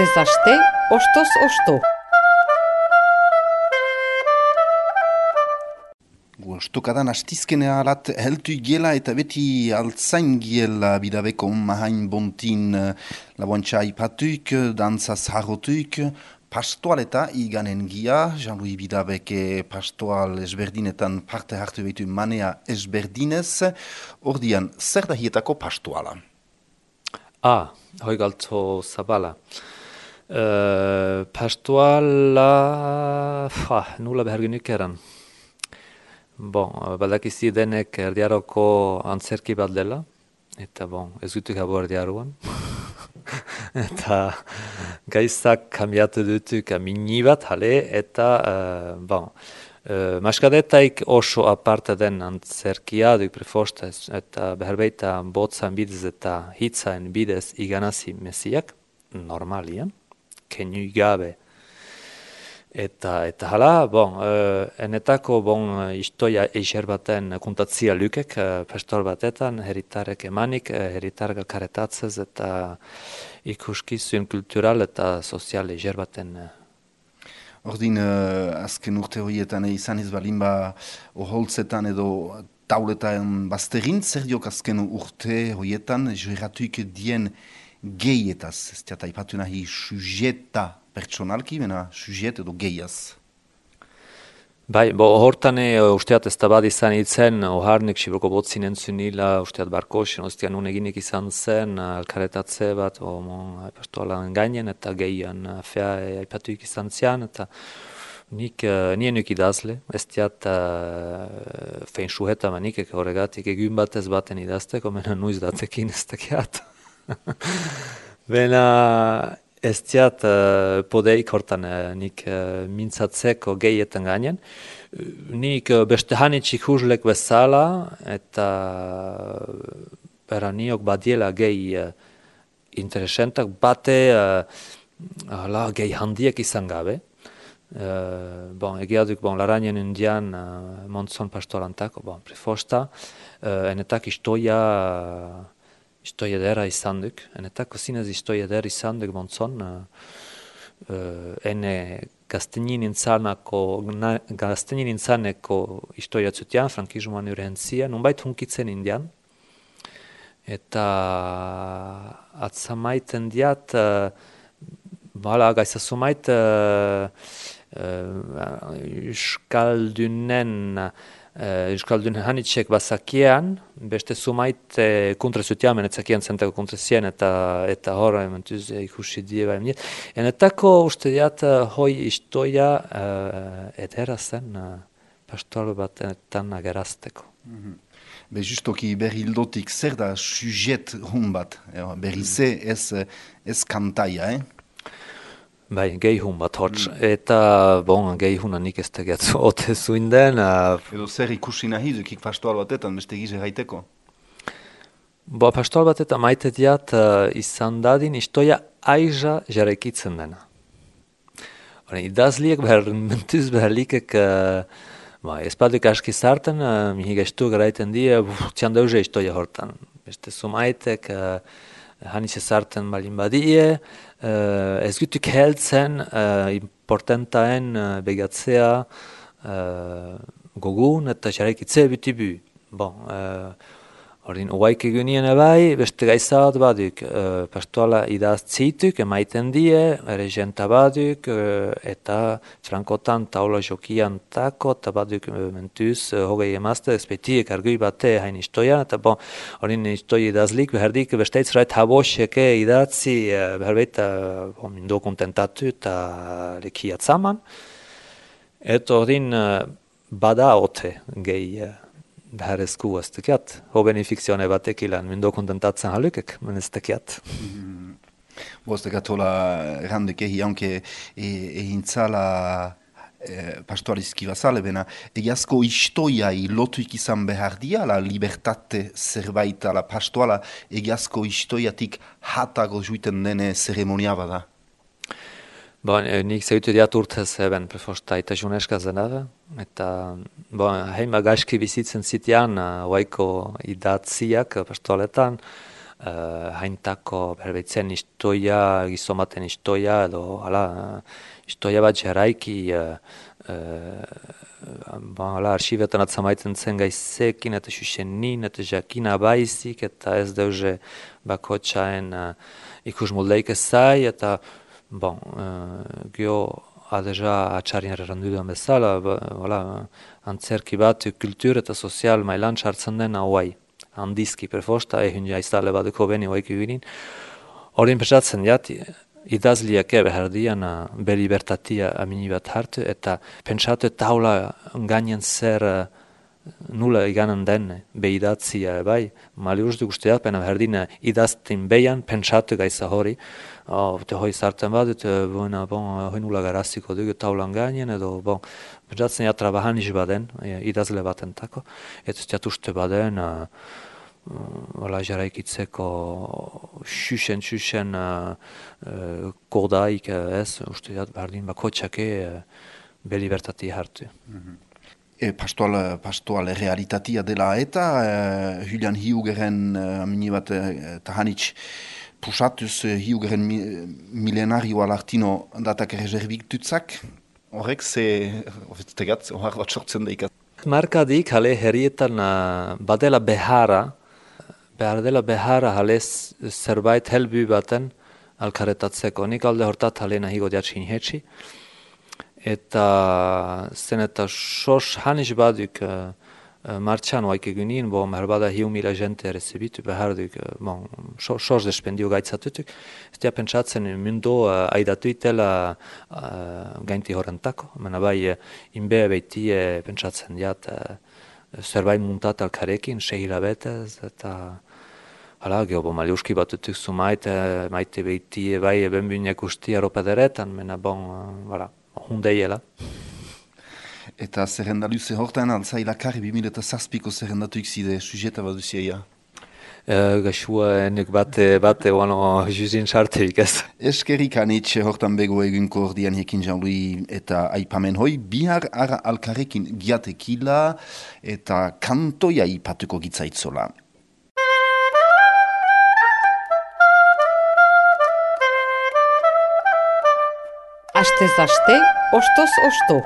Astez aste, ostoz osto. Stokadan astizkenea alat heltu giela eta beti altzain giela bidabeko mahain bontin laboantxa ipatuik, dantzaz harrotuik, pastoaleta iganen gia, Jean-Louis Bidabeke pastoal ezberdinetan parte hartu behitu manea ezberdinez, ordian zer da hietako pastoala? Hoi galtzo zabala. Pastoala, nula beharginik eran. Badakizi denek erdiaroko antzerki bat dela, eta ez dutuk habo erdiaruan. Eta gaizak kambiatu dutuk mini bat, eta maskadetaik oso aparte den antzerkia duk prefostez, eta beherbeita botzan bidez eta hitzaen bidez iganazi mesiak, normalian, kenu gabe. Eta hala, enetako istoia eixer baten kontatzia lukek, pastoal batetan, heritarek emanik, heritarek karetatzez eta ikuskizun kultural eta sozial eixer baten. Ordin, azken urte horietan izan ez balinba oholtzetan edo tauletan bazterin, zer diok azken urte horietan, joeratuik dien gehietaz, ez diata ipatu nahi sujeta pertsonalki, bena sujet edo gehiaz. Hortan usteat ez da bat izan itzen, oharnik sibroko botzin entzunila, usteat barkosen, ostean uneginik izan zen, alkaretatze bat, pastoalan gainen, eta gehian fea aipatuik izan zian, eta nien nuk idazle, ez diat fein sujeta manik, horregatik egun batez baten idazteko, mena nuiz datekin ez dakiat. Bena ez diat podeik hortan nik mintzatzeko gehietan gainen. Nik beste hanitxik huzlek bezala eta niok badiela gehi interesentak bate gehi handiek izan gabe. Egia duk larainen indian montzon pastolantako, prefosta, enetak istoia dera izan duk, enetako zinez istoia dera izan duk montzon, ene gaztenin intzaneko istoia zutian, frankizman urentzia, nunbait hunkitzen indian, eta atzamaiten diat, gaizazumait Euskaldun hanitxek bazakiean, beste sumait kontra zutiamen etzakien zentako kontra zien eta hor mentuz ikusi die baina. Enetako uste diat hoi istoia edera zen pastoal batetan agerazteko. Justoki berri hildotik zer da sujet hun bat, berri ze ez kantaia, gehi hun bat hotz, eta gehi hunanik ez tegetzu ote zuinden. Edo zer ikusi nahi dukik pastoal batetan, beste gize gaiteko? Pastoal batetan maite diat izan dadin istoia aiza jarekitzen dena. Idazliek mentuz beharlikek espaduk aski zarten, mihi gaistu garaiten die, txan dauze istoia hortan. Beste sumaitek hanitxe zarten balin badie, ez gutuk heltzen importantaen begatzea gogun eta xarekitze bitibu. Horin oaik egunien ebai, beste gaizat baduk, pastoala idaz zituk, emaiten die, regenta baduk, eta frankotan taula jokian tako, eta baduk mentuz, hogei emazte, espetiek argui bate hain istoian, eta horin istoi idazlik, beherdik besteitzrait haboseke idatzi, beherbeita mindo kontentatu eta lekia atzaman, eta horin bada ote gehi, behar esku ez tekiat, hobeni fikzione batek ilan, mindo kontentatzen halukek, men ez tekiat. Ez tekiat hola errandek haunke ehintzala pastoalizki bazale, bena egiazko istoiai lotuik izan behar dia, la libertate zerbait, la pastoala egiazko istoiatik hatago juiten dene zeremonia bada. Nik zeutu diat urtez eben prefosta eta juneska zenada, eta heima gaizki bizitzen zitian, oaiko idatziak pastoaletan, haintako berbeitzen istoia, gizomaten istoia, edo istoia bat jaraiki, arxibetan atzamaiten zen gaizekin, eta xuxenin, eta jakina baizik, eta ez deuze bakotxaen ikus moldeik ezai, eta gio adeja atxarien errandu duan bezala, antzerki bat kultur eta sozial mailan txartzen den hauai, handizki perfosta, egin jaiztale baduko beni hoik eginin. Horien pesatzen jat, idazliak behardian be libertatia amini bat hartu, eta pentsatu taula gainen zer nula iganen den behidatzia bai, mali uste guztiak, pena behardina idaztin behan, pentsatu gaiza hori, hoi zartzen badut, hoi nula garaziko dugu taulan gainen, edo pentsatzen ja trabajan baden, idazle batentako, eta ez uste baden, jaraikitzeko xuxen kodaik ez, uste jat behardin bakotxake be libertatia hartu. Pastoal realitatea dela eta Julian Hiugeren amini bat tahanitz pusatuz Hiugeren milenarioa lartino datak reservitutzak, horrek tegatz, horrek bat sortzen daik. Markadik hale herrietan badela behar dela behara hale zerbait helbu baten alkaretatzeko. Nik alde hortat hale nahigo diatxin hetxi. Eta zen eta sos haniz baduk martxan oaik egunin, merbada 1.000 gente recebitu behar duk, sos despendio gaitzatutuk. Ez dia pentsatzen mundo aidatu itela gainti horrentako. Mena bai, inbe beitie pentsatzen diat zerbait muntat alkarekin, 6 hilabetez, eta geho, maliuski batutuk zu maite beitie bai benbuinek usti Europa deretan, mena hundeiela. Eta zerrendaluze hortan altzailakari 2007ko zerrendatuik zide sujeta bat duzia. Gaxua enek bate oano juzin sarterik ez. Eskerik anitz hortan bego egunko ordian hekin jaului eta aipamen hoi, bihar ara alkarekin giatekila eta kantoia ipatuko gitzaitzola. Astez aste, ostoz osto.